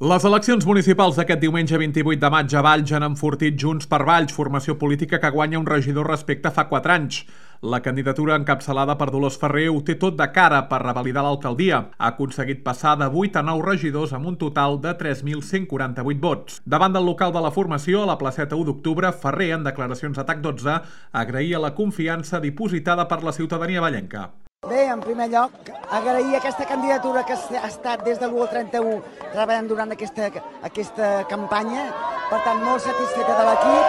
Les eleccions municipals d'aquest diumenge 28 de maig a Valls han enfortit Junts per Valls, formació política que guanya un regidor respecte a fa 4 anys. La candidatura encapçalada per Dolors Ferrer ho té tot de cara per revalidar l'alcaldia. Ha aconseguit passar de 8 a 9 regidors amb un total de 3.148 vots. Davant del local de la formació, a la placeta 1 d'octubre, Ferrer, en declaracions a TAC12, agraïa la confiança dipositada per la ciutadania vallenca. Bé, en primer lloc, agrair aquesta candidatura que ha estat des de l'1 al 31 treballant durant aquesta campanya. Per tant, molt satisfeta de l'equip.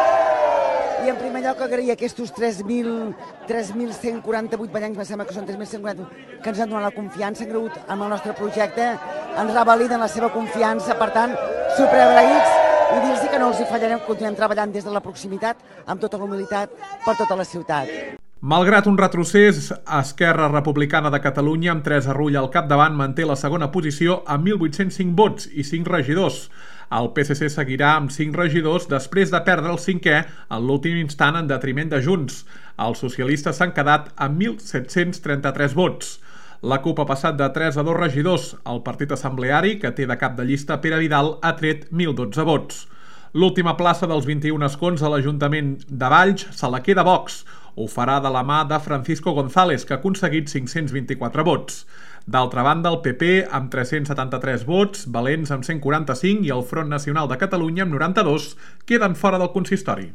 I en primer lloc agrair aquests 3.148 vallencs, em sembla que són 3.148, que ens han donat la confiança, han cregut en el nostre projecte, ens revaliden la seva confiança, per tant, superagraïts, i dir-los que no els hi fallarem, continuem treballant des de la proximitat, amb tota la humilitat, per tota la ciutat. Malgrat un retrocés, Esquerra Republicana de Catalunya, amb Teresa Rull al capdavant, manté la segona posició amb 1.805 vots i 5 regidors. El PSC seguirà amb 5 regidors després de perdre el 5è en l'últim instant en detriment de Junts. Els socialistes s'han quedat amb 1.733 vots. La CUP ha passat de 3 a 2 regidors. El partit assembleari, que té de cap de llista Pere Vidal, ha tret 1.012 vots. L'última plaça dels 21 escons a l'Ajuntament de Valls se la queda Vox. Ho farà de la mà de Francisco González, que ha aconseguit 524 vots. D'altra banda, el PP, amb 373 vots, Valents amb 145 i el Front Nacional de Catalunya, amb 92, queden fora del consistori.